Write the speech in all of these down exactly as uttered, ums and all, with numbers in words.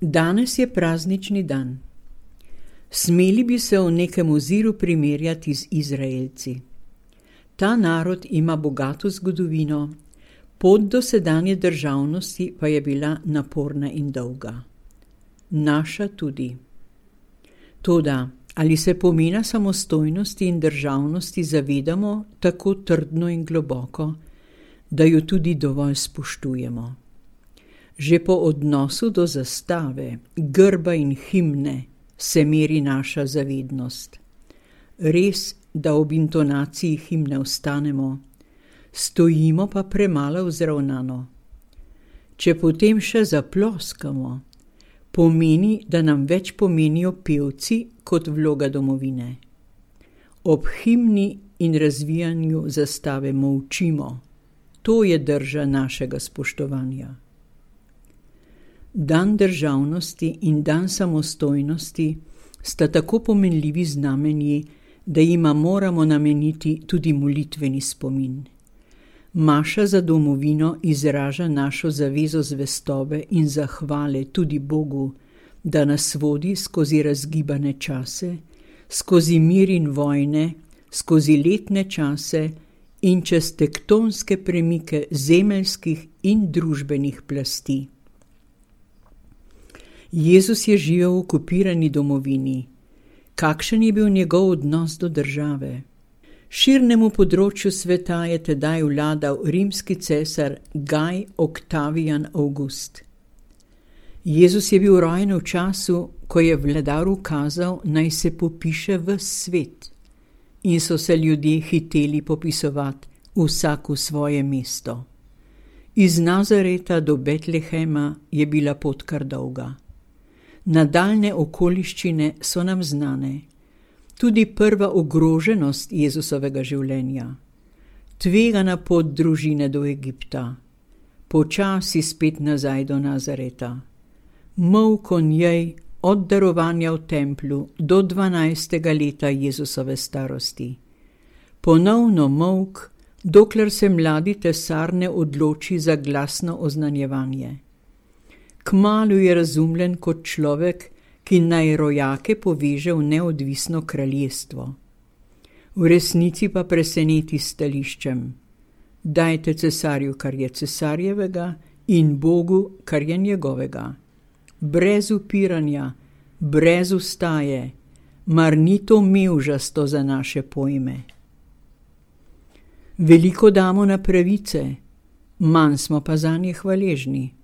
Danes je praznični dan. Smeli bi se v nekem oziru primerjati z Izraelci. Ta narod ima bogato zgodovino, pot do sedanje državnosti pa je bila naporna in dolga. Naša tudi. Toda, ali se pomena samostojnosti in državnosti zavedamo tako trdno in globoko, da jo tudi dovolj spoštujemo? Že po odnosu do zastave, grba in himne se meri naša zavednost. Res, da ob intonaciji himne ostanemo, stojimo pa premalo vzravnano. Če potem še zaploskamo, pomeni, da nam več pomenijo pevci kot vloga domovine. Ob himni in razvijanju zastave molčimo. To je drža našega spoštovanja. Dan državnosti in dan samostojnosti sta tako pomenljivi znamenji, da jima moramo nameniti tudi molitveni spomin. Maša za domovino izraža našo zavezo zvestobe in zahvale tudi Bogu, da nas vodi skozi razgibane čase, skozi mir in vojne, skozi letne čase in čez tektonske premike zemeljskih in družbenih plasti. Jezus je živel v okupirani domovini. Kakšen je bil njegov odnos do države? Širnemu področju sveta je tedaj vladal rimski cesar Gaj Oktavijan Avgust. Jezus je bil rojen v času, ko je vladar ukazal, naj se popiše ves svet, in so se ljudje hiteli popisovati vsak v svoje mesto. Iz Nazareta do Betlehema je bila pot kar dolga. Nadaljne okoliščine so nam znane. Tudi prva ogroženost Jezusovega življenja. Tvegana pot družine do Egipta. Počasi spet nazaj do Nazareta. Molk o njej od darovanja v templju do dvanajstega leta Jezusove starosti. Ponovno molk, dokler se mladi tesar ne odloči za glasno oznanjevanje. Kmalu je razumljen kot človek, ki naj rojake poveže v neodvisno kraljestvo. V resnici pa preseneti s stališčem: dajte cesarju, kar je cesarjevega, in Bogu, kar je njegovega. Brez upiranja, brez ustaje, mar ni to mevžasto za naše pojme. Veliko damo na pravice, manj smo pa zanje hvaležni.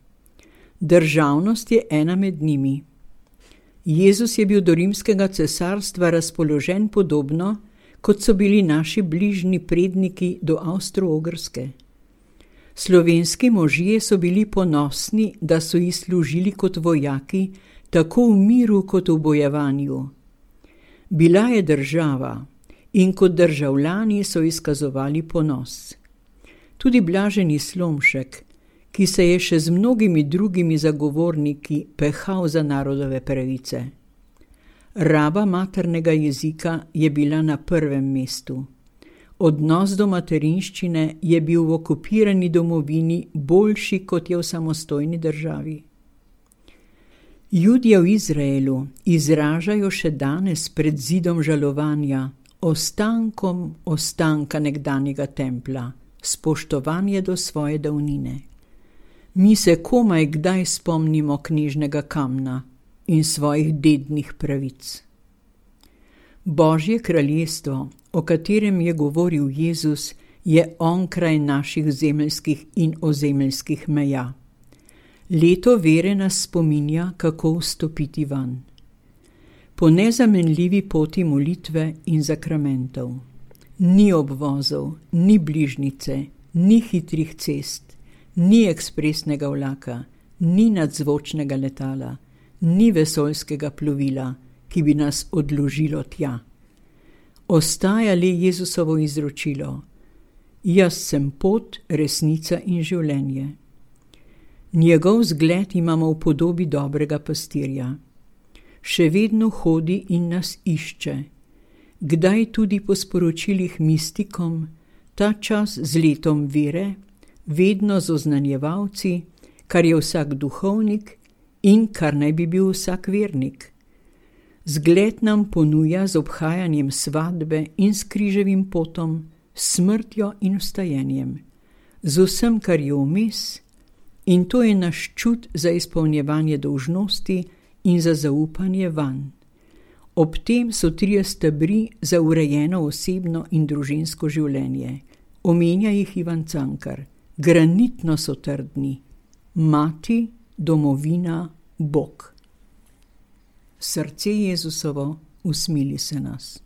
Državnost je ena med njimi. Jezus je bil do rimskega cesarstva razpoložen podobno, kot so bili naši bližnji predniki do Avstro-Ogrske. Slovenski možje so bili ponosni, da so ji služili kot vojaki, tako v miru kot v bojevanju. Bila je država in kot državljani so izkazovali ponos. Tudi blaženi Slomšek, ki se je še z mnogimi drugimi zagovorniki pehal za narodove pravice. Raba maternega jezika je bila na prvem mestu. Odnos do materinščine je bil v okupirani domovini boljši, kot je v samostojni državi. Judje v Izraelu izražajo še danes pred zidom žalovanja, ostankom ostanka nekdanjega templja, spoštovanje do svoje davnine. Mi se komaj kdaj spomnimo knjižnega kamna in svojih dednih pravic. Božje kraljestvo, o katerem je govoril Jezus, je onkraj naših zemeljskih in ozemeljskih meja. Leto vere nas spominja, kako vstopiti van. Po nezamenljivi poti molitve in zakramentov. Ni obvozov, ni bližnice, ni hitrih cest, ni ekspresnega vlaka, ni nadzvočnega letala, ni vesoljskega plovila, ki bi nas odložilo tja. Ostaja le Jezusovo izročilo: jaz sem pot, resnica in življenje. Njegov zgled imamo v podobi dobrega pastirja. Še vedno hodi in nas išče. Kdaj tudi po sporočilih mistikom, ta čas z letom vere, vedno z oznanjevalci, kar je vsak duhovnik in kar naj bi bil vsak vernik. Zgled nam ponuja z obhajanjem svadbe in s križevim potom, smrtjo in vstajenjem, z vsem, kar je vmes, in to je naš čut za izpolnjevanje dolžnosti in za zaupanje vanj. Ob tem so trije stebri za urejeno osebno in družinsko življenje. Omenja jih Ivan Cankar. Granitno so trdni. Mati, domovina, Bog. Srce Jezusovo, usmili se nas.